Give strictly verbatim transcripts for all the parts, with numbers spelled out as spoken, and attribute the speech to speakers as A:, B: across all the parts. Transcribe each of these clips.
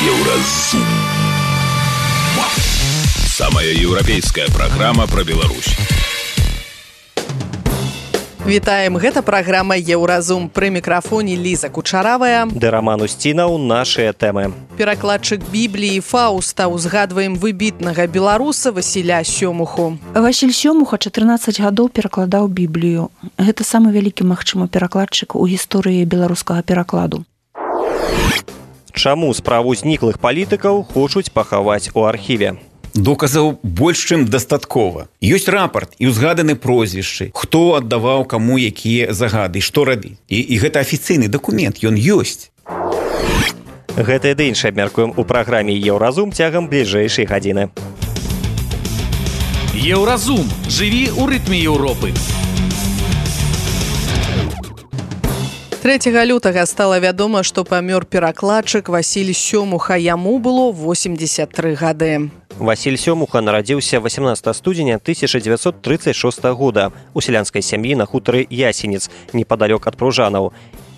A: Еўразум. Самая еўрапейская праграма пра Беларусь.
B: Вітаем, гэта праграма Еўразум. Пры мікрафоне Ліза Кучаравая.
C: Ды Раман Усцінаў, нашыя тэмы.
B: Перакладчык Бібліі Фаўста. Узгадваем выбітнага беларуса Васіля Сёмуху.
D: Васіль Сёмуха чатырнаццаць гадоў перакладаў Біблію. Гэта самы вялікі, магчыма, перакладчык у гісторыі беларускага перакладу.
C: Чаму справу зніклых палітыкаў хочуць пахаваць у архіве?
E: Доказаў больш чым дастаткова. Ёсць рапарт і ўзгаданы прозвішчы, хто аддаваў каму якія загады, што рабіць. І, і гэта афіцыйны дакумент, ён ёсць.
C: Гэта і ды іншае абмяркуем у праграме Еўразум цягам бліжэйшай гадзіны.
A: Еўразум. Жыві ў рытме Еўропы.
B: трэцяга лютага стала вядома, што памёр перакладчык Васіль Сёмуха. Яму было восемьдесят тры гады.
C: Васіль Сёмуха нарадзіўся восемнадцатага студзеня тысяча дзевяцьсот трыццаць шостага года у сялянскай сям'і на хутары Ясенец, непадалёк ад Пружанаў.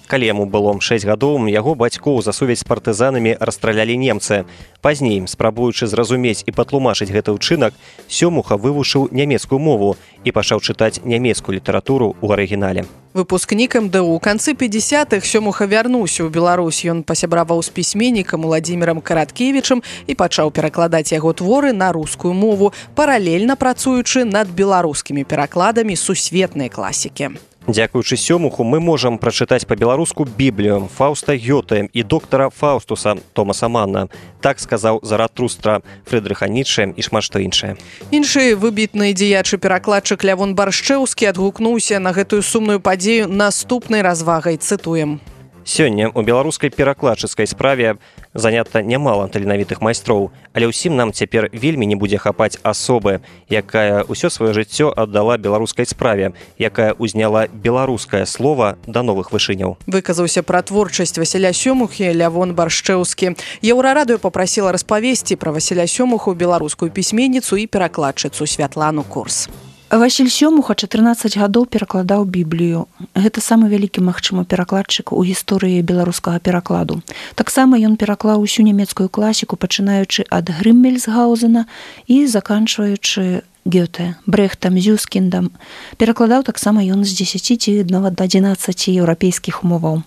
C: Калі яму было шэсць гадоў, яго бацькоў за сувязь з партызанамі расстралялі немцы. Пазней, спрабуючы зразумець і патлумачыць гэты ўчынак, Сёмуха вывучыў нямецкую мову і пачаў чытаць нямецкую літаратуру ў арыгінале.
B: Выпускнік эм дэ у. У канцы пятидесятых Сёмуха вярнуўся ў Беларусь. Ён пасябраваў з пісьменнікам Уладзімірам Караткевічам і пачаў перакладаць яго творы на рускую мову, паралельна працуючы над беларускімі перакладамі сусветнай класікі.
C: Дзякуючы Сёмуху мы можам прачытаць па-беларуску Біблію Фаўста Гёте і доктара Фаўстуса Томаса Манна. Так сказаў Заратустра, Фрыдрыха Ніцшэ і шмат што іншае.
B: Іншы выбітны дзеячы перакладчык Лявон Баршчэўскі адгукнуўся на гэтую сумную падзею наступнай развагай. Цытуем.
C: Сёння ў беларускай перакладчыцкай справе занята нямала таленавітых майстроў, але ўсім нам цяпер вельмі не будзе хапаць асобы, якая ўсё сваё жыццё аддала беларускай справе, якая ўзняла беларускае слова да новых вышыняў.
B: Выказаўся пра творчасць Васіля Сёмухі Лявон Баршчэўскі. Еўрарадыё папрасіла распавесці пра Васіля Сёмуху беларускую пісьменніцу і перакладчыцу Святлану Курс.
D: Васіль Сёмуха чатырнаццаць гадоў перакладаў Біблію. Гэта самы вялікі, магчыма, перакладчык у гісторыі беларускага перакладу. Таксама ён пераклаў усю нямецкую класіку, пачынаючы ад Грыммельсгаузена і заканчваючы Гёте, Брэхтам, Зюскіндам. Перакладаў таксама ён з дзесяці ці нават адзінаццаці еўрапейскіх моваў.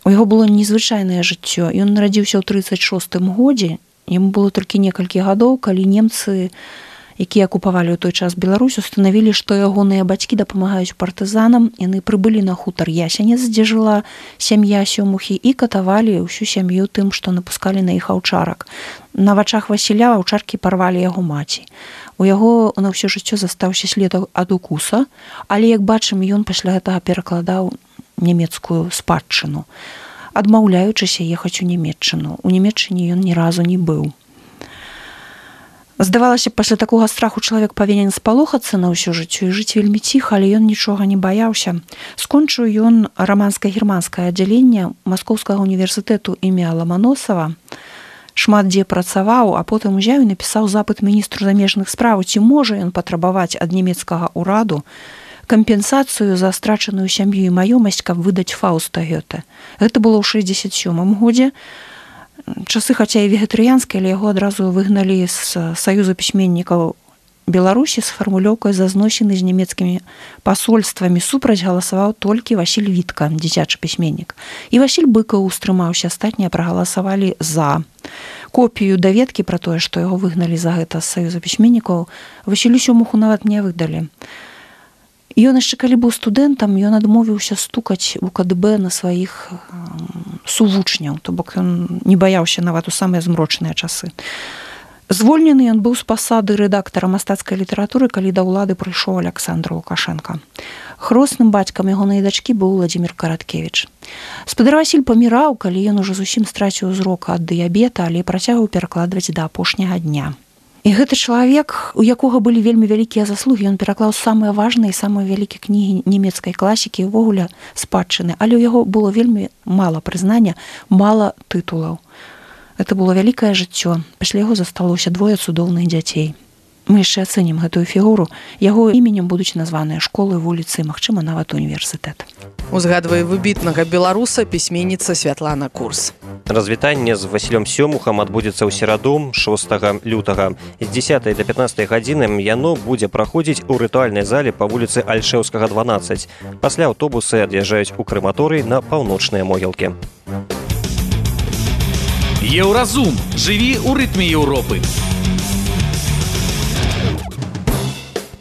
D: У яго было незвычайнае жыццё. Ён нарадзіўся ў трыццаць шостым годзе. Яму было толькі некалькі гадоў, калі немцы, якія акупавалі ў той час Беларусь, устанавілі, што ягоныя бацькі дапамагаюць партызанам. Яны прыбылі на хутар Ясенец, дзе жыла сям'я Сёмухі, і катавалі ўсю сям'ю тым, што напускалі на іх аўчарак. На вачах Васіля аўчаркі парвалі яго маці. У яго на ўсё жыццё застаўся след ад укуса, але, як бачым, ён пасля гэтага перакладаў нямецкую спадчыну, адмаўляючыся ехаць у Нямецчыну. У Нямецчыне ён ні разу не быў. Здавалася, пасля такога страху чалавек павінен спалохацца на ўсё жыццё і жыць вельмі ціха, але ён нічога не баяўся. Скончыў ён раманска-германскае аддзяленне Маскоўскага універсітэту імя Ламаносава, шмат дзе працаваў, а потым узяў і напісаў запыт міністру замежных спраў, ці можа ён патрабаваць ад нямецкага ўраду кампенсацыю за страчаную сям'ю і маёмасць, каб выдаць Фаўста Гёте. Гэта было ў шэсцьдзесят сёмым годзе. Часы, хаця і вегетарыянскія, але яго адразу выгналі з Саюза пісьменнікаў Беларусі з фармулёўкай за зносіны з нямецкімі пасольствамі. Супраць галасаваў толькі Васіль Вітка, дзіцячы пісьменнік. І Васіль Быкаў устрымаўся, астатнія прагаласавалі за. Копію даведкі пра тое, што яго выгналі за гэта з Саюза пісьменнікаў, Васілю Сёмуху нават не выдалі. Ён яшчэ калі быў студэнтам, ён адмовіўся стукаць у ка дэ бэ на сваіх сувучняў, то бок ён не баяўся нават у самыя змрочныя часы. Звольнены ён быў з пасады рэдактара мастацкай літаратуры, калі да ўлады прыйшоў Аляксандр Лукашенка. Хросным бацькам ягонай дачкі быў Уладзімір Караткевіч. Спадар Васіль паміраў, калі ён ужо зусім страціў зрок ад дыябета, але працягваў перакладваць да апошняга дня. І гэты чалавек, у якога былі вельмі вялікія заслугі, ён пераклаў самыя важныя і самыя вялікія кнігі нямецкай класікі, увогуле спадчыны, але ў яго было вельмі мала прызнання, мала тытулаў. Гэта было вялікае жыццё. Пасля яго засталося двое цудоўных дзяцей. Мы яшчэ ацэнім гэтую фігуру. Яго іменем будуць названыя школы, вуліцы, магчыма, нават універсітэт.
B: Узгадвае выбітнага беларуса пісьменніца Святлана Курс.
C: Развітанне з Васілём Сёмухам адбудзецца ў сераду шостага лютага. З дзесятай да пятнаццатай гадзіны яно будзе праходзіць у рытуальнай зале па вуліцы Альшэўскага, дванаццаць. Пасля аўтобусы ад'язджаюць у крэматорый на паўночныя могілкі.
A: Еўразум. Жыві ў рытме Еўропы.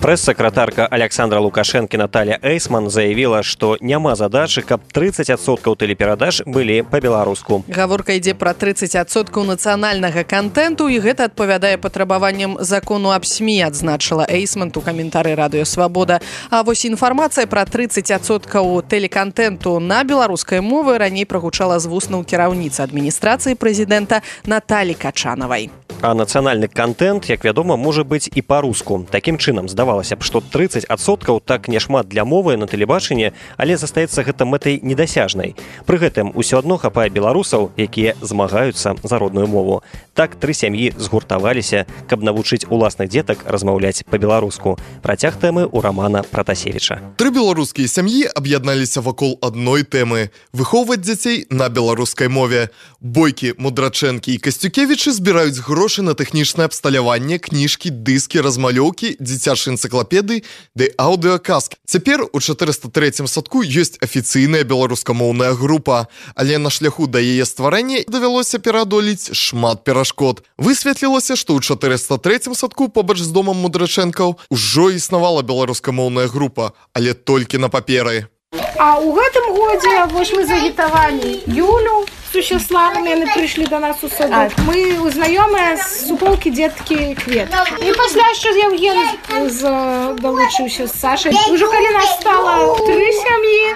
C: Прэс-сакратарка Александра Лукашэнкі Наталья Эйсман заявіла, што няма задачы, каб трыццаць адсоткаў тэлеперадач былі па-беларуску.
B: Гаворка ідзе пра трыццаць адсоткаў нацыянальнага кантэнту, і гэта адпавядае патрабаванням закону аб СМІ, адзначыла Эйсман у каментары Радыё Свабода. А вось інфармацыя пра трыццаць адсоткаў тэлекантэнту на беларускай мове раней прагучала з вуснаў кіраўніцы адміністрацыі прэзідэнта Наталі Качанавай.
C: А нацыянальны кантэнт, як вядома, можа быць і па-руску. Такім чынам, здавалася б, што трыццаць адсоткаў так няшмат для мовы на тэлебачанні, але застаецца гэта мэтай недасяжнай. Пры гэтым усё адно хапае беларусаў, якія змагаюцца за родную мову. Так тры сям'і згуртаваліся, каб навучыць уласных дзетак размаўляць па-беларуску. Працяг тэмы ў Рамана Пратасевіча.
F: Тры беларускія сям'і аб'ядналіся вакол адной тэмы – выхоўваць дзяцей на беларускай мове. Бойкі, Мудрачэнкі і Касцюкевічы збіраюць грошы на тэхнічнае абсталяванне, кніжкі, дыскі, размалёўкі, дзіцячыя энцыклапедыі ды аўдыёказкі. Цяпер у чатырыста трэцім садку ёсць афіцыйная беларускамоўная група, але на шляху да яе стварэння давялося пераадолець шмат перашкод. Высветлілася, што ў чатырыста трэцім садку побач з домам Мудрачэнкаў ужо існавала беларускамоўная група, але толькі на паперы.
G: А ў гэтым годзе вось мы загітавалі Юлю з Сущеславамі, яны прыйшлі да нас у садок. Мы знаёмыя з суполкі дзеткі Квет. І пасля яшчэ Евген далучыўся з Сашай. Ужо калі нас стала тры сям'і,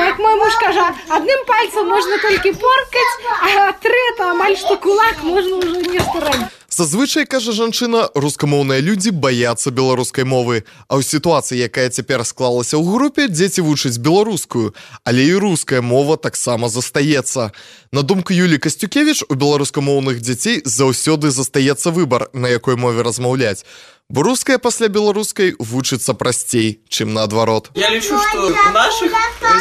G: як мой муж кажа, адным пальцам можна толькі поркаць, а трета амаль што кулак можна ўжо нешта рабіць.
F: Зазвычай, кажа жанчына, рускамоўныя людзі баяцца беларускай мовы. А ў сітуацыі, якая цяпер склалася ў групе, дзеці вучаць беларускую, але і руская мова таксама застаецца. На думку Юлі Касцюкевіч, у беларускамоўных дзяцей заўсёды застаецца выбар, на якой мове размаўляць. Бо руская пасля беларускай вучыцца прасцей, чым наадварот.
H: Я лічу, што ў нашых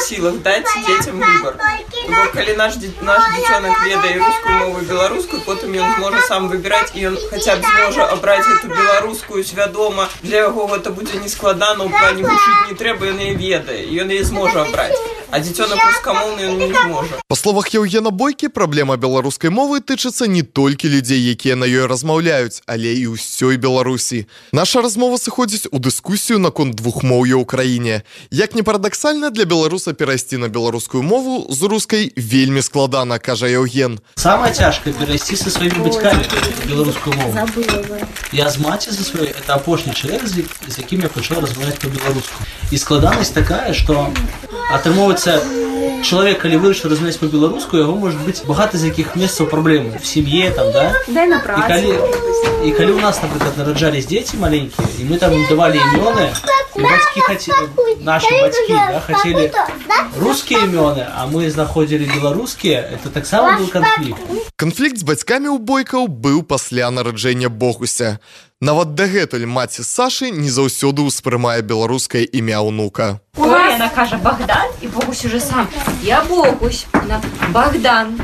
H: сілах даць дзецям выбар. Бо калі наш дзіцёнак ведае рускую мову і беларускую, потым ён зможа сам выбіраць, і ён хаця б зможа абраць гэту беларускую свядома. Для яго гэта будзе нескладана, у плане вучыць не трэба, ён яе ведае, і ён яе зможа абраць. А дзіцёнак рускамоўны ён не зможа.
F: Па словах Еўгена Бойкі, праблема беларускай мовы тычыцца не толькі людзей, якія на ёй размаўляюць, але і ўсёй Беларусі. Наша размова сыходзіць у дыскусію наконт двухмоўя ў краіне. Як не парадаксальна, для беларуса перайсці на беларускую мову з рускай вельмі складана, кажа Еўген.
I: Самае цяжкае перайсці са сваімі бацькамі беларускую мову. Я з маці за сваёй, это апошні чалавек, з якім я пачаў размаўляць па-беларуску. І складанасць такая, што атрымоўваецца чалавек, калі вырашыў размаўляць па-беларуску, яго можа быць багата з якіх месцаў праблемы в сям'і там, да?
G: Дай на працу.
I: І калі, і калі у нас, напрыклад, нараджались дзеці маленькія, і мы там давалі імёны, і бацькі хацелі, нашы бацькі, да, хацелі рускія імёны, а мы знаходзілі беларускія, это таксама быў канфлікт.
F: Канфлікт з бацькамі ў Бойкаў быў пасля нараджэння Богуся. Нават дагэтуль маці з Сашай не заўсёды ўспрымае беларускае імя ўнука.
J: Ой, яна кажа Богдан, і Богусь уже сам. Я Богусь, вона Богдан.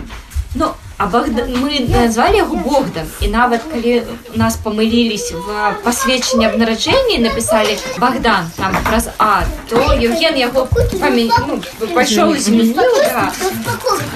J: Ну, а Богдан, мы назвали яго Богдан, і нават калі нас памылілись в пасведчанні аб нараджэнні, написали Богдан там праз А, то Евген яго памя... ну, пайшоў і змяніў, да.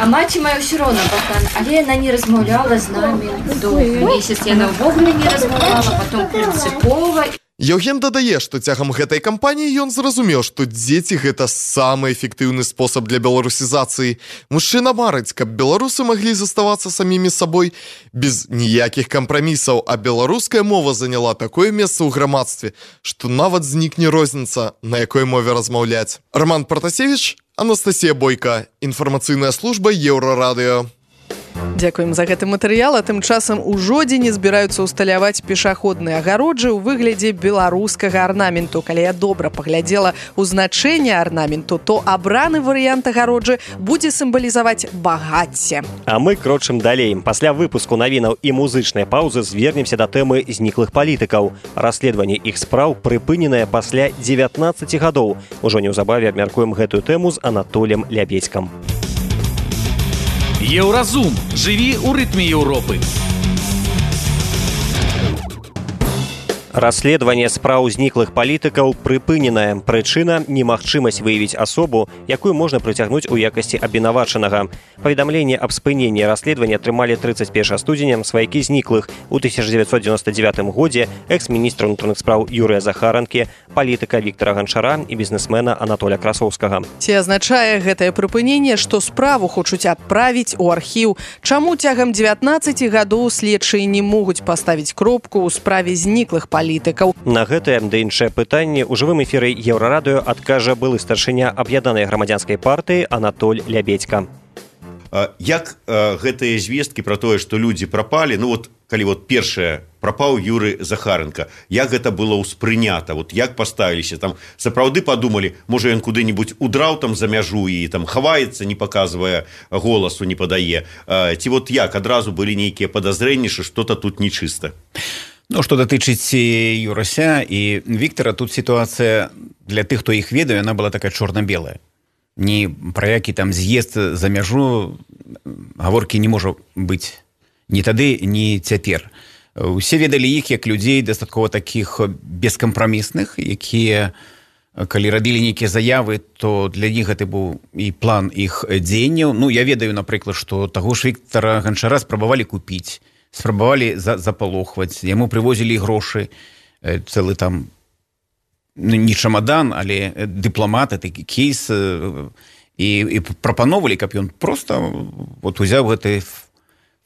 J: А маці мая ўсё роўна Богдан, але яна не размаўляла з намі доўгі месяц, яна ўвогуле не размаўляла, потом прынцыпова.
F: Еўген дадае, што цягам гэтай кампаніі ён зразумеў, што дзеці гэта самы эфектыўны спосаб для беларусізацыі. Мужчына марыць, каб беларусы маглі заставацца самімі сабой без ніякіх кампрамісаў, а беларуская мова заняла такое месца ў грамадстве, што нават знікне розніца, на якой мове размаўляць. Роман Пратасевіч, Анастасія Бойка, інфармацыйная служба Еўрарадыё.
B: Дзякуем за гэты матэрыял, а тым часам у жодзіне збіраюцца ўсталяваць пешаходныя агароджы ў выглядзе беларускага арнаменту. Калі я добра паглядзела ў значэнне арнаменту, то абраны варыянт агароджы будзе сімвалізаваць багацце.
C: А мы крочым далей. Пасля выпуску навінаў і музычнай паўзы звернемся да тэмы зніклых палітыкаў. Расследаванне іх спраў прыпыненае пасля дзевятнаццаці гадоў. Ужо неўзабаве абмяркуем гэтую тэму з Анатолем Лябедзькам.
A: Еўразум. Жыві ў рытме Еўропы.
C: Расследаванне спраў зніклых палітыкаў прыпыненае. Прычына – немагчымасць выявіць асобу, якую можна прыцягнуць у якасці абвінавачанага. Паведамленне аб спыненні расследавання атрымалі трыццаць першага студзеня сваякі зніклых. У тысяча дзевяцьсот дзевяносто дзевятым годзе экс-міністра ўнутраных спраў Юрыя Захаранкі, палітыка Віктара Ганчара і бізнесмена Анатоля Красоўскага.
B: Ці азначае гэтае прыпыненне, што справу хочуць адправіць у архіў? Чаму цягам дзевятнаццаці гадоў следчыя не могуць паставіць кропку ў справе зніклых палітыкаў?
C: На гэтае да іншае пытанне ў жывым эфіры Еўрарадыё адкажа былы старшыня аб'яднанай грамадзянскай партыі Анатоль Лябедзька.
K: Як гэтыя звесткі пра тое, што людзі прапалі, ну вот калі вот першае прапаў Юры Захаранка, як гэта было ўспрынята, вот як паставіліся, там сапраўды падумалі, можа ён куды-нибудь удраў там за мяжу і там хаваецца, не паказвае голасу, не падае, ці вот як адразу былі нейкія падазрэнні, што што-то тут нечыста.
E: Ну, што датычыць Юрася і Віктара, тут сітуацыя для тых, хто іх ведае, яна была такая чорна-белая. Ні пра які там з'езд за мяжу гаворкі не можа быць ні тады, ні цяпер. Усе ведалі іх як людзей дастаткова такіх бескампрамісных, якія, калі рабілі нейкія заявы, то для іх гэта быў і план іх дзеянняў. Ну, я ведаю, напрыклад, што таго ж Віктара Ганчара спрабавалі купіць, спрабавалі запалохваць, яму прывозілі грошы, цэлы там, не чамадан, але дыпламат, такі кейс, і, і прапановалі, каб ён проста вот, узяў гэты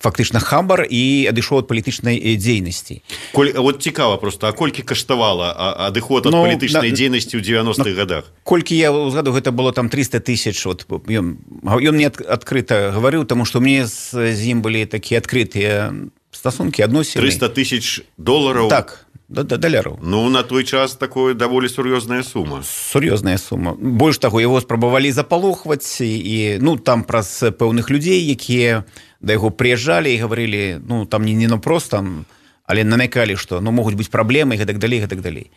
E: фактычна хабар і адышоў ад палітычнай дзейнасці.
K: Коль, вот цікава просто, а колькі каштавала адыход ад ну, палітычнай да, дзейнасці ў дзевяностых ну, гадах?
E: Колькі я згадаю, гэта было там триста тысяч, вот, ён, ён мне адкрыта гаварыў, таму што мне з, з ім былі такія адкрытыя стасункі, адносіны.
K: триста тысяч долараў?
E: Так, даляраў.
K: Ну, на той час такое даволі сур'ёзная сума.
E: Сур'ёзная сума. Больш таго, яго спрабавалі запалохваць, і, ну, там праз пэўных людзей, якія да яго прыязджалі і гаварылі, ну, там не, не напрост, там, але намякалі, што, ну, могуць быць праблемы, і гэтак далей, гэтак далей.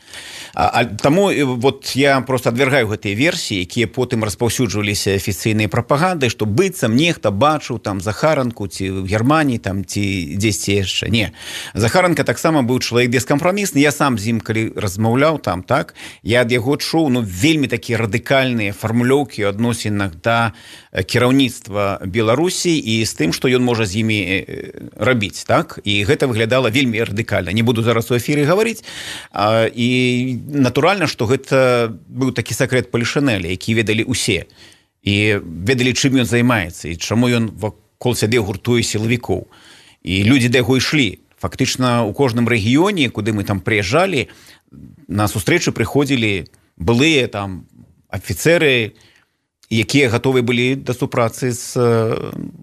E: А, а, таму вот я просто адвяргаю гэтыя версіі, якія потым распаўсюджваліся афіцыйнай прапагандай, што быццам нехта бачыў там Захаранку ці ў Германіі, там, ці дзесьці яшчэ. Не. Захаранка таксама быў чалавек бескампрамісны, я сам з ім, калі размаўляў там, так, я ад яго чуў, ну, вельмі такія радыкальныя фармулёўкі ў адносінах да кіраўніцтва Беларусі і з тым, што ён можа з імі рабіць, так, і гэта выглядала вельмі радыкальна. Не буду зараз у эфіры гаварыць, а, і натуральна, што гэта быў такі сакрэт палішынэля, які ведалі ўсе. І ведалі, чым ён займаецца, і чаму ён вакол сябе гуртуе сілавікоў. І людзі да яго ішлі. Фактычна, у кожным рэгіёне, куды мы там прыязджалі, на сустрэчы прыходзілі былыя там афіцэры, якія гатовы былі да супрацы з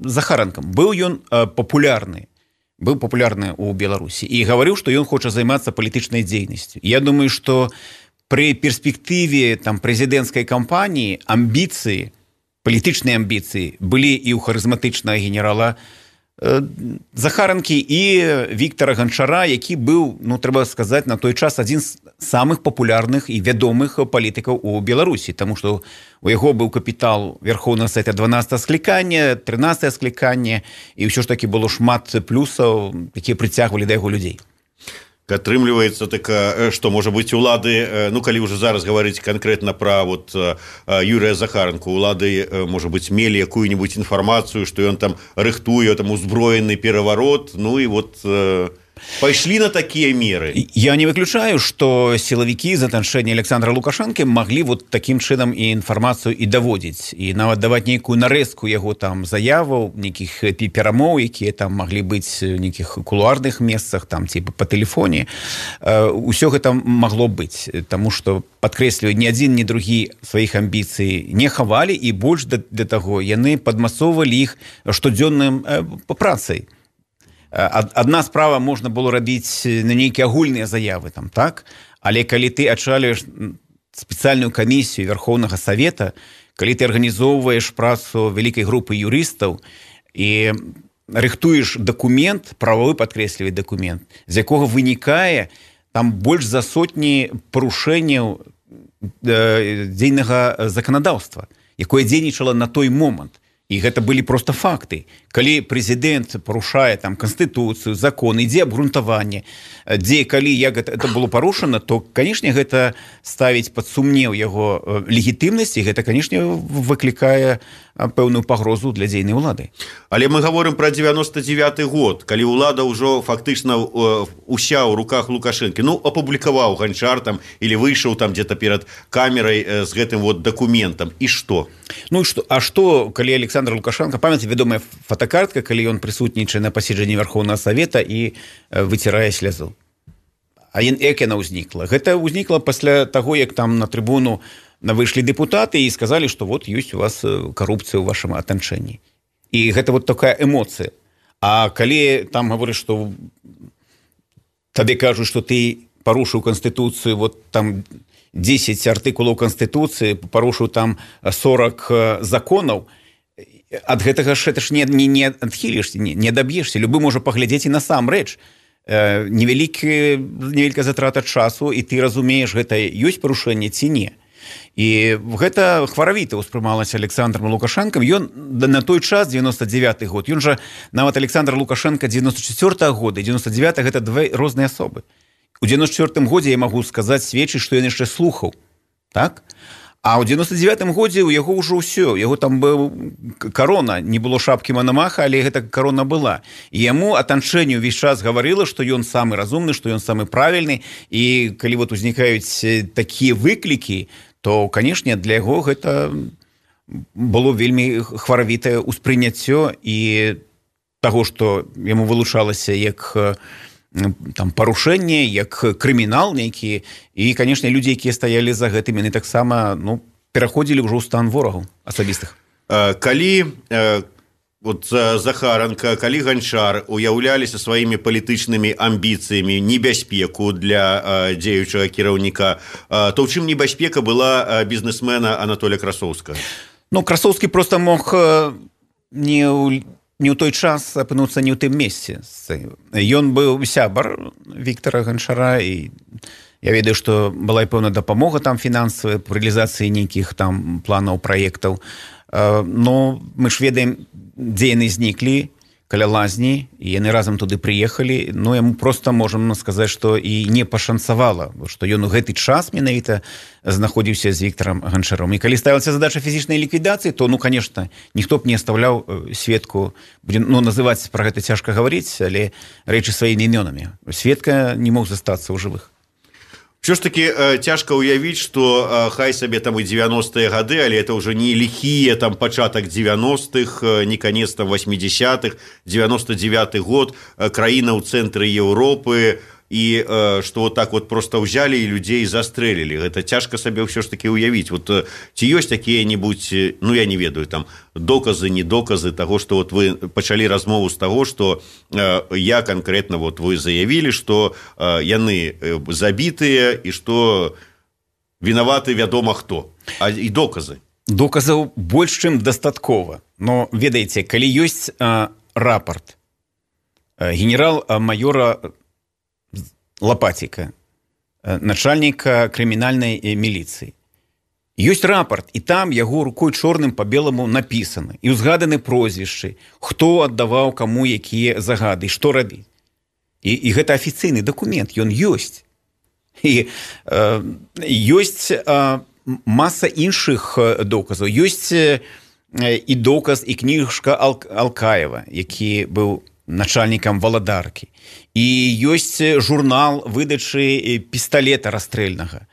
E: Захаранкам. Быў ён папулярны. быў папулярны ў Беларусі і гаварыў, што ён хоча займацца палітычнай дзейнасцю. Я думаю, што пры перспектыве там прэзідэнцкай кампаніі амбіцыі, палітычныя амбіцыі былі і ў харызматычнага генерала Захаранкі і Віктара Ганчара, які быў, ну, трэба сказаць, на той час адзін з самых папулярных і вядомых палітыкаў у Беларусі, таму што у яго быў капітал Верхоўнага Савета дванаццатага склікання, трынаццатае склікання, і ўсё ж такі было шмат плюсаў, якія прыцягвалі да яго людзей.
K: Атрымліваецца така, што можа быць улады, ну калі ўжо зараз гаварыць канкрэтна пра вот Юрыя Захаранку, улады можа быць мелі якую-нибудь інфармацыю, што ён там рыхтуе там узброены пераварот, ну і вот Пайшлі на такія меры.
E: Я не выключаю, што сілавікі з атачэння Александра Лукашэнкі маглі вот такім чынам і інфармацыю і даводзіць, і нават даваць нейкую нарэзку яго там заяваў, нейкіх перамоў, якія там маглі быць у нейкіх кулуарных месцах, там типа па тэлефоне. Усё гэта магло быць, таму што, падкрэсліваю, ні адзін, ні другі сваіх амбіцый не хавалі, і больш для таго яны падмасоўвалі іх штодзённым працай. Адна справа можна было рабіць на нейкія агульныя заявы там, так? Але калі ты ачалюеш спецыяльную камісію Верховнага Савета, калі ты арганізоўваеш працу вялікай групы юрыстаў і рыхтуеш дакумент, правовы падкрэслівай дакумент, з якога вынікае там больш за сотні парушэнняў дзейнага заканадаўства, якое дзейнічала на той момант. І гэта былі проста факты. Калі прэзідэнт парушае там канстытуцыю, закон, ідзе абгрунтаванне, дзе калі як гэта, это было парушана, то, канешне, гэта ставіць пад сумнеў яго легітымнасць, і гэта, канешне, выклікае пэўную пагрозу для дзейнай улады.
K: Але мы гаворым пра дзевяносто девяты год, калі ўлада ўжо фактычна уся ў руках Лукашэнкі. Ну, апублікаваў Ганчар там, или выйшаў там где-то перад камерай з гэтым вот дакументам. І што?
E: Ну, што, а што, калі Александр Лукашенко, памяце, вядомая фотокартка, калі ён прысутнічае на паседжанні Верховнага Савета і выцірае слязу. А як яна ўзнікла? Гэта ўзнікла пасля таго, як там на трыбуну выйшлі дэпутаты і сказалі, што вот ёсць у вас карупцыя ў вашым атачэнні. І гэта вот такая эмоцыя. А калі там гаворыш, што табе кажуць, што ты парушыў Канстытуцыю, вот там дзесяць артыкулаў Канстытуцыі, парушыў там сорок законаў, ад гэтага ж это ж не, не, не адхілішся, не, не даб'ешся. Любы можа паглядзець і насамрэч. Невялікі, невялікая затрата часу, і ты разумееш, гэта ёсць парушэнне ці не. І гэта хваравіта ўспрымалася Александром Лукашэнкам. Ён на той час, девяносто девяты год, ён жа нават Александр Лукашэнка девяносто четвёртага года і девяносто девяты гэта две розныя асобы. У девяносто четвёртым годзе я магу сказаць, сведчыць, што ён яшчэ слухаў, так? А ў девяносто девятым годзе у яго ўжо ўсё, яго там быў карона, не было шапкі Манамаха, але гэта карона была. І яму атачэнне ўвесь час гаварыла, што ён самы разумны, што ён самы правільны, і калі вот узнікаюць такія выклікі, то, канешне, для яго гэта было вельмі хваравітае ўспрыняццё і таго, што яму вылучалася як там парушэнне, як крымінал нейкі, і, канешне, людзі, якія стаялі за гэтым, яны таксама, ну, пераходзілі ўжо ў стан ворагаў асабістых.
K: Калі вот Захаранка, калі Ганчар уяўляліся сваімі палітычнымі амбіцыямі небяспеку для дзеючага кіраўніка, то ў чым небяспека была бізнесмена Анатолія Красоўскага?
E: Ну, Красоўскі проста мог не ў не ў той час апынуцца не ў тым месцы. Ён быў сябар Віктара Ганчара, і я ведаю, што была і пэўна дапамога там фінансавая па рэалізацыі нейкіх там планаў, праектаў. Но мы ж ведаем, дзе яны зніклі, каля лазні, і яны разам туды прыехалі. Ну, яму проста можам сказаць, што і не пашанцавала, што ён у гэты час менавіта знаходзіўся з Віктарам Ганчаром. І калі ставілася задача фізічнай ліквідацыі, то, ну, конечно, ніхто б не аставляў Светку, ну, называць пра гэта цяжка гаварыць, але рэчы сваімі імёнамі. Светка не мог застацца ў жывых.
K: Все ж таки цяжка уявіць, што хай сабе там і девяностыя гады, але это ўжо не ліхія там пачатак девяностых, не канец там восьмидесятых, девяносто девяты год, краіна ў цэнтры Еўропы, і што вот так вот просто ўзялі і людзей застрэлілі. Гэта цяжка сабе ўсё ж таки уявіць. Вот ці ёсць такія-небудзь, ну я не ведаю, там доказы, не доказы таго, што вот вы пачалі размову з таго, што я канкрэтна вот вы заявілі, што яны забітыя і што вінаваты вядома хто. А і доказы?
E: Доказаў больш чым дастаткова. Но ведаеце, калі ёсць рапорт генерал-майора Лопатіка, начальніка крымінальнай міліцыі. Ёсць рапорт, і там яго рукой чорным па беламу напісаны, і ўзгаданы прозвішчы, хто аддаваў каму якія загады, што рабіць. І, і гэта афіцыйны дакумент, ён ёсць. І э, ёсць э, маса іншых доказаў. Ёсць э, і доказ, і кніжка Ал- Алкаева, які быў начальнікам валадаркі. І ёсць журнал выдачы пісталета расстрэльнага.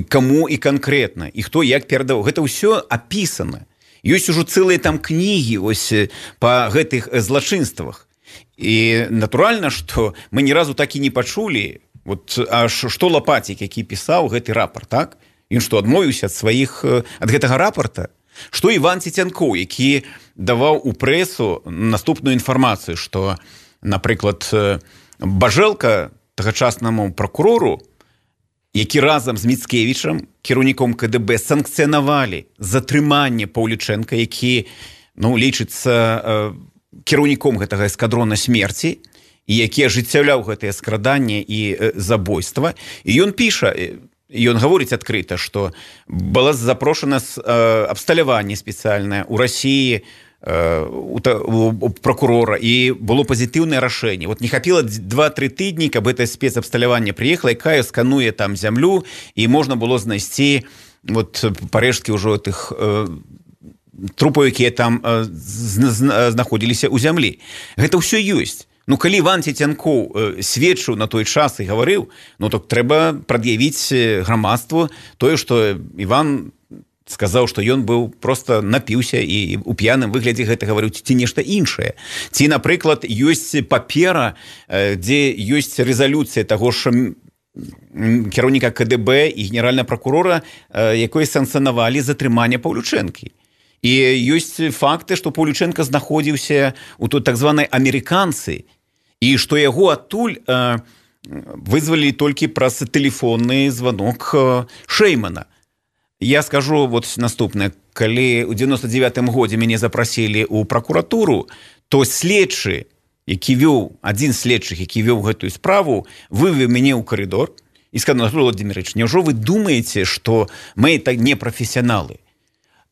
E: Каму і канкрэтна, і хто як перадаваў. Гэта ўсё апісана. Ёсць ужо цэлыя там кнігі ось па гэтых злачынствах. І натуральна, што мы ні разу так і не пачулі, вот, аж што Лапацік, які пісаў гэты рапорт, так? Ён што, адмовіўся ад сваіх, ад гэтага рапорта? Што Іван Цецянкоў, які даваў у прэсу наступную інфармацыю, што, напрыклад, Бажэлка тагачаснаму пракурору, які разам з Міцкевічам, кіраўніком ка дэ бэ, санкцыянавалі затрыманне Паўлічэнка, які, ну, лічыцца э, кіраўніком гэтага эскадрона смерці, і які ажыццяўляў гэтае скраданне і э, забойства. І ён піша, і ён гаворыць адкрыта, што было запрошана э, абсталяванне спецыяльнае ў Расіі, у, у прокурора, і было пазітыўнае рашэнне. Вот не хапіла два-тры тыдні, каб гэта спецабсталяванне прыехала, якая скануе там зямлю, і можна было знайсці вот парэшткі ўжо тых э, трупаў, якія там э, знаходзіліся ў зямлі. Гэта ўсё ёсць. Ну, калі Іван Цецянкоў э, сведчыў на той час і гаварыў, ну, то трэба прад'явіць грамадству тое, што Іван сказаў, што ён быў проста напіўся і у п'яным выглядзе гэта гаварыў, ці нешта іншае. Ці, напрыклад, ёсць папера, дзе ёсць рэзалюцыя таго ж кіраўніка ка дэ бэ і генеральнага пракурора, якой санкцыянавалі затрыманне Паўлючэнкі. І ёсць факты, што Паўлючэнка знаходзіўся у той так званай амерыканцы, і што яго адтуль вызвалілі толькі праз тэлефонны званок Шэймана. Я скажу вот наступнае. Калі ў дзевяносто девятым годзе мяне запрасілі ў пракуратуру, то следчы, які вёў, адзін з следчых, які вёў гэтую справу, вывеў мяне ў карыдор і сказаў: Анатолий Владимирович, няўжо вы думаеце, што мы так не прафесіяналы?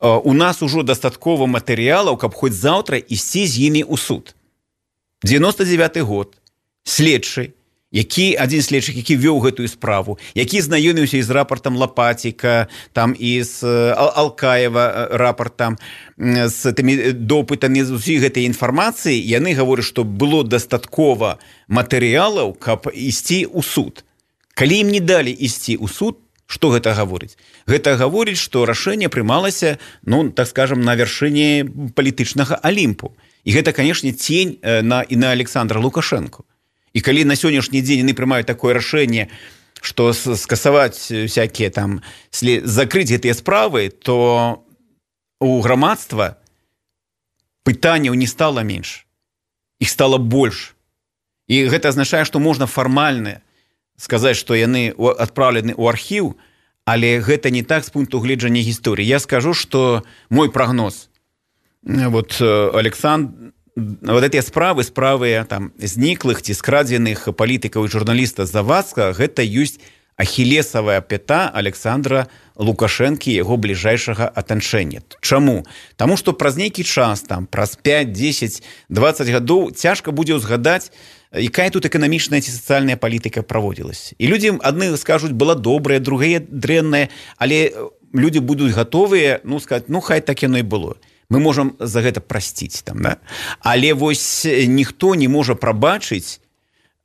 E: У нас ужо дастаткова матэрыялаў, каб хоць заўтра ісці з імі ў суд. дзевяносто девяты год. Следчы, які адзін следчых, які вёў гэтую справу, які знаёміўся і з рапартам Лапаціка, там і з Алкаева рапартам, з тымі допытамі, з усіх гэтай інфармацыі, яны гавораць, што было дастаткова матэрыялаў, каб ісці ў суд. Калі ім не далі ісці ў суд, што гэта гаворыць? Гэта гаворыць, што рашэнне прымалася, ну, так скажам, на вяршыні палітычнага Алімпу. І гэта, канешне, цень на, і на Александра Лукашэнку. І калі на сённяшні дзень яны прымаюць такое рашэнне, што скасаваць всякія там, закрыць гэтыя справы, то у грамадства пытанняў не стала менш, іх стала больш. І гэта азначае, што можна фармальна сказаць, што яны адпраўлены ў архіў, але гэта не так з пункту гледжання гісторыі. Я скажу, што мой прагноз, вот Александр, вот эти справы, справы там зніклых ці скрадзеных палітыкаў і журналіста Завадска, гэта ёсць ахілесавая пята Александра Лукашэнкі, яго бліжэйшага атачэння. Чаму? Таму што праз нейкі час, там праз пять, десять, двадцать гадоў цяжка будзе ўзгадаць, якая тут эканамічная ці сацыяльная палітыка праводзілася. І людзі адны скажуць, была добрая, другая дрэнная, але людзі будуць гатовыя, ну, сказаць, ну, хай так яно і было. Мы можам за гэта прасціць там, да? Але вось ніхто не можа прабачыць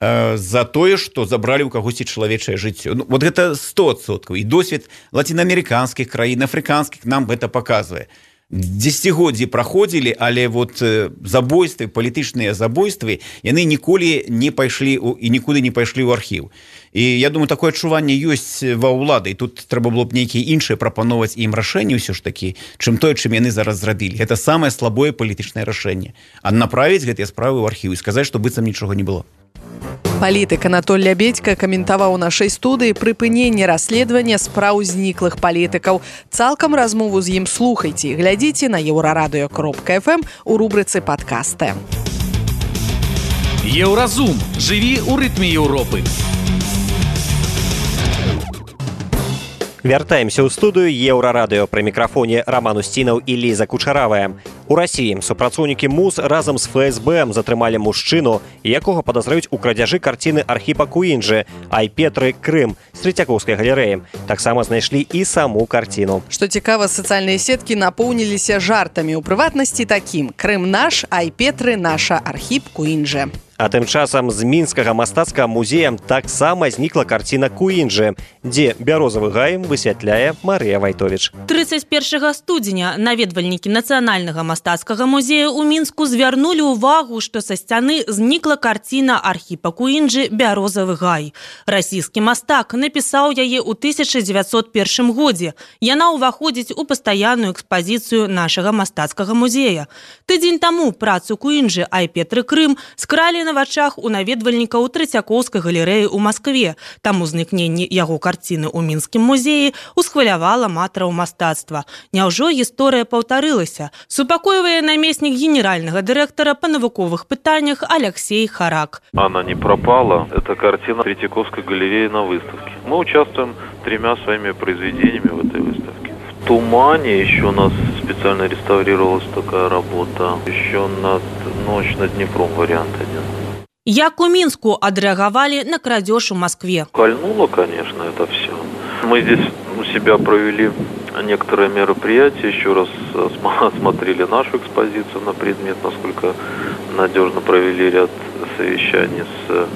E: э, за тое, што забралі ў кагосьці чалавечае жыццё. Ну, вот гэта сто адсоткаў. І досвед лацінаамерыканскіх краін, афрыканскіх нам гэта паказвае. Дзесяцігоддзі праходзілі, але вот забойствы, палітычныя забойствы, яны ніколі не пайшлі і нікуды не пайшлі ў архіў. І я думаю, такое адчуванне ёсць ва ўлады, і тут трэба было б нейкія іншыя прапановаць ім рашэнні ўсё ж такі, чым тое, чым яны зараз зрабілі. Гэта самае слабое палітычнае рашэнне. А направіць гэтыя справы ў архіў і сказаць, што быццам нічога не было.
B: Палітык Анатоль Лябедзька каментаваў у нашай студыі прыпыненне расследавання спраў зніклых палітыкаў. Цалкам размову з ім слухайце і глядзіце на еўрарадыё кропка эф эм у рубрыцы «Падкасты».
A: Еўразум. Жыві ў рытме Еўропы.
C: Вяртаемся ў студыю Еўрарадыё. Пры мікрафоне Роман Устінаў і Ліза Кучаравая. У Расіі супрацоўнікі МУЗ разам з эф эс бэ затрымалі мужчыну, якога падазраюць у крадзяжы карціны Архіпа Куінджы «Айпетры. Крым» з Трэцяковскай галерэі. Таксама знайшлі і саму карціну.
B: Што цікава, сацыяльныя сеткі напоўніліся жартамі, у прыватнасці такім: «Крым наш, Айпетры наша, Архіп Куінджы».
C: А тым часам з мінскага мастацкага музея таксама знікла карціна Куінджы, дзе бярозавы гай высвятляе Марыя Вайтовіч.
L: тридцать первого студзеня наведвальнікі нацыянальнага мастацкага музея ў Мінску звярнулі ўвагу, што са сцяны знікла карціна Архіпа Куінджы «Бярозавы гай». Расійскі мастак напісаў яе ў тысяча дзевяцьсот першым годзе. Яна ўваходзіць у пастаянную экспазіцыю нашага мастацкага музея. Тыдзень таму працу Куінджы «Ай Петры Крым» скралі на вачах у наведвальнікаў Трэцякоўскай галерэі ў Маскве. Таму знікненне яго карціны ў мінскім музеі усхвалявала аматараў мастацтва. Няўжо гісторыя паўтарылася? Супакойвае намеснік генеральнага дырэктара па навуковых пытаннях Алексей Харак.
M: Она не пропала. Это картина Третьяковской галереи на выставке. Мы участвуем тремя своими произведениями в этой выставке. В «Тумане» еще у нас специально реставрировалась такая работа. Еще над «Ночь над Днепром» вариант один.
L: Як у Мінску адрэагавалі на крадеж у Москве?
M: Кольнуло, конечно, это все. Мы здесь у себя провели некоторые мероприятия, еще раз осмотрели нашу экспозицию на предмет, насколько надежно провели ряд совещаний с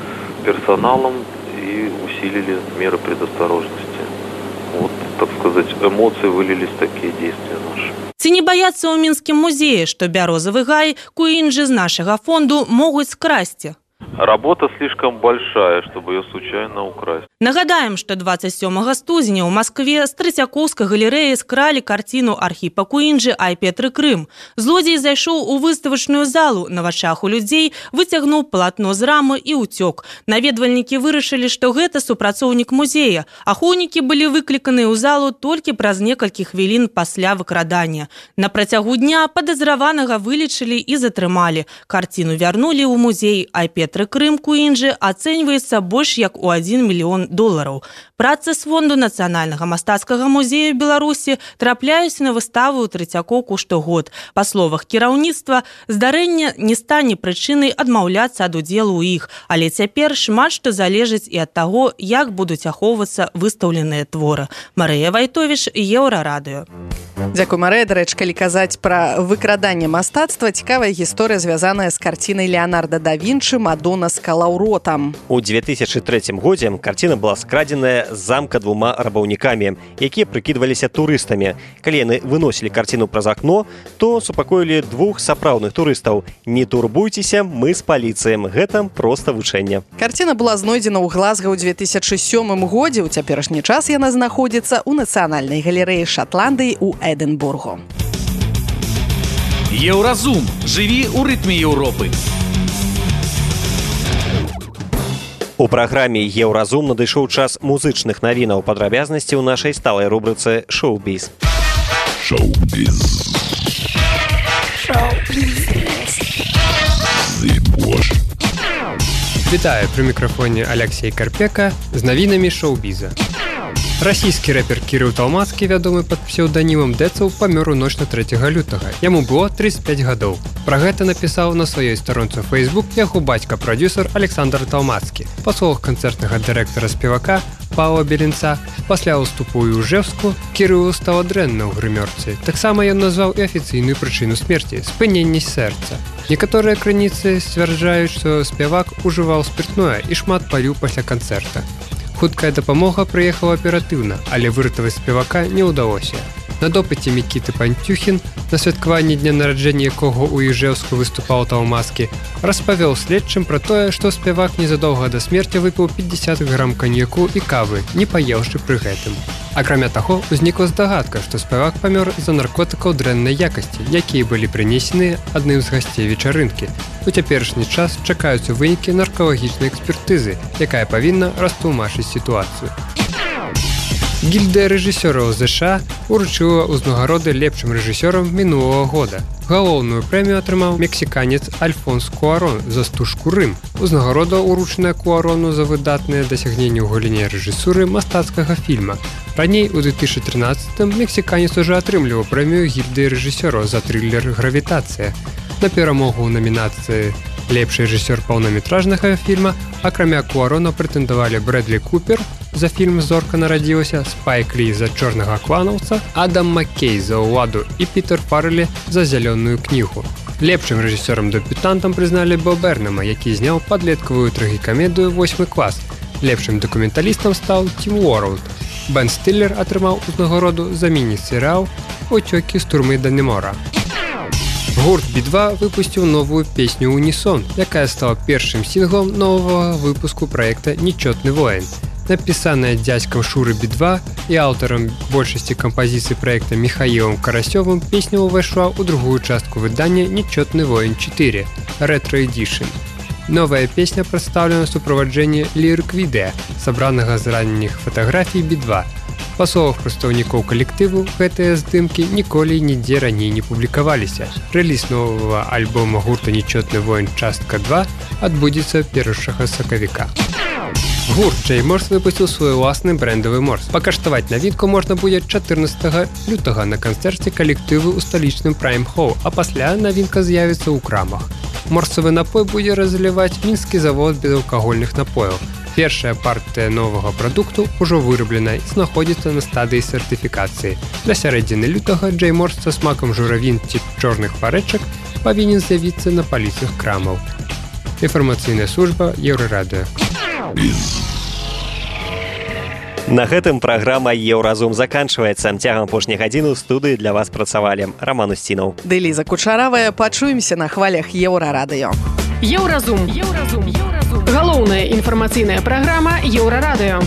M: персоналом и усилили меры предосторожности. Вот, так сказать, эмоции вылились в такие действия наши.
L: Ці не баяцца ў мінскім музеі, што бярозавы гай Куінджы з нашага фонду могуць скрасці?
M: Работа слишком большая, чтобы ее случайно украсть.
L: Нагадаем, што двадцать сёмага студзеня ў Маскве з Трэцякоўскай галерэі скралі карціну Архіпа Куінджы «Ай Петры Крым». Злодзей зайшоў у выставачную залу, на вачах у людзей выцягнуў палатно з рамы і ўцёк. Наведвальнікі вырашылі, што гэта супрацоўнік музея. Ахоўнікі былі выкліканыя ў залу толькі праз некалькі хвілін пасля выкрадання. На працягу дня падазраванага вылічылі і затрымалі. Карціну вярнулі ў музей «Ай Петры Крым» Куінджы ацэньваецца больш як у адзін мільён долараў. Працы з фонду Нацыянальнага мастацкага музея Беларусі трапляюць на выставу ў Трэцякоўку штогод. Па словах кіраўніцтва, здарэнне не стане прычынай адмаўляцца ад удзелу ў іх, але цяпер шмат што залежыць і ад таго, як будуць ахоўвацца выстаўленыя творы. Марыя Вайтовіч, Еўрарадыё.
B: Дзякуй, Марыя. Дарэчы, калі казаць пра выкраданне мастацтва, цікавая гісторыя, звязаная з карцінай Леонардо да Вінчы «Мадонна з калаўротам».
C: У две тысячи третьем годзе карціна была скрадзеная з замка двума рабаўнікамі, якія прыкідваліся турыстамі. Калі яны выносілі карціну праз акно, то супакоілі двух сапраўдных турыстаў. Не турбуйцеся, мы з паліцыем. Гэта проста вучэнне.
B: Карціна была знойдзена ў Глазга ў две тысячи сёмым годзе. У цяперашні час яна знаходзіцца ў Нацыянальнай галерэі Шатландыі ў Эдинбургу.
A: Еўразум. Жыві ў рытме Еўропы.
C: У праграме «Еўразум» надышоў час музычных навінаў, падрабязнасці ў нашай сталай рубрыцы «Шоу-біз».
N: Шоу-біз.
O: Вітаю, пры мікрафоне Алексей Карпека з навінамі шоу-біза. Расійскі рэпер Кірыл Талмацкі, вядомы пад псеўданімам Дэцаў, памёр у ноч на трэцяга лютага. Яму было тридцать пять гадоў. Пра гэта напісаў на сваёй старонцы Facebook яго бацька-прадзюсар Александр Талмацкі. Па словах канцэртнага дырэктара спевака Павла Беленца, пасля ўступу ў Ужэўску Кірылу стала дрэнна ў грымёрцы. Таксама ён назваў і афіцыйную прычыну смерці – спыненне сэрца. Некаторыя крыніцы сцвярджаюць, што спявак ужываў спіртное і шмат паліў пасля канцэрта. Хуткая дапамога прыехала аператыўна, але выратаваць спевака не ўдалося. На допыце Мікіты Пантюхін, на святкаванні дня нараджэння якога ў Іжэўску выступаў Талмацкі, распавёў следчым пра тое, што спевак незадоўга да смерці выпіў пятьдесят грам каньяку і кавы, не паеўшы пры гэтым. Акрамя таго, узнікла здагадка, што спевак памёр з-за наркотыкаў дрэннай якасці, якія былі прынесены адным з гасцей вечарынкі. У цяперашні час чакаюцца вынікі наркалагічнай экспертызы, якая павінна растлумачыць сітуацыю. Гільдыя рэжысёраў ЗША уручыла ўзнагароды лепшым рэжысёрам мінулага года. Галоўную прэмію атрымаў мексіканец Альфонс Куарон за стужку «Рым». Узнагарода уручаная Куарону за выдатныя дасягненні ў галіне рэжысуры мастацкага фільма. Раней, у две тысячи тринадцатым, мексіканец уже атрымліваў прэмію гільдыі рэжысёраў за трылер «Гравітацыя». На перамогу ў намінацыі «Лепшы рэжысёр паўнаметражнага фільма» акрамя Куарона прэтэндавалі Брэдлі Купер за фільм «Зорка нарадзілася», Спайк Лі за «Чорнага кланаўца», Адам Маккей за «Уладу» і Пітер Фаррелі за «Зялёную кнігу». Лепшым рэжысёрам-дэбютантам прызналі Бо Бернама, які зняў падлеткавую трагікамедыю «Восьмы клас». Лепшым дакументалістам стаў Тім Уорлд. Бен Стиллер атрымаў узнагароду за міні-серыял «Уцёкі з турмы Даннемора». Гурт би два выпусціў новую песню «Унісон», якая стала першым сінглом новага выпуску праекта «Нечётны воін». Напісаная дзядзькам Шуры би два і аўтарам большасці кампазіцый праекта Михаілам Карасёвым, песня ўвайшла ў другую частку выдання «Нечётны воін чатыры» Retro Edition. Новая песня прадстаўлена ў суправаджэнні лірык-відэа, сабранага з ранніх фатаграфій би два. Па словах прадстаўнікоў калектыву, гэтыя здымкі ніколі і нідзе раней не публікаваліся. Рэліз новага альбома гурта «Нечётны воін частка два» адбудзецца першага сакавіка. Гурт Джей Морс выпусціў свой уласны брэндавы морс. Пакаштаваць навінку можна будзе чатырнаццатага лютага на канцэрце калектыву ў сталічным Prime Hall, а пасля навінка з'явіцца ў крамах. Морсавы напой будзе разліваць мінскі завод безалкагольных напояў. Першая партыя новага прадукту ўжо выраблена і знаходзіцца на стадыі сертыфікацыі. Для сярэдзіны лютага Джей Морс са смакам журавін ці чорных варэчак павінен з'явіцца на паліцах крамаў. Інфармацыйная служба Еўрарадыё.
C: На гэтым праграма «Еўразум» заканчваецца. Цягам апошняй гадзіны ў студыі для вас працавалі Раман Устінаў.
B: Ды Ліза Кучаравая. Пачуемся на хвалях Еўрарадыё.
P: Еўразум. Еўразум. Галоўная інфармацыйная праграма Еўрарадыё.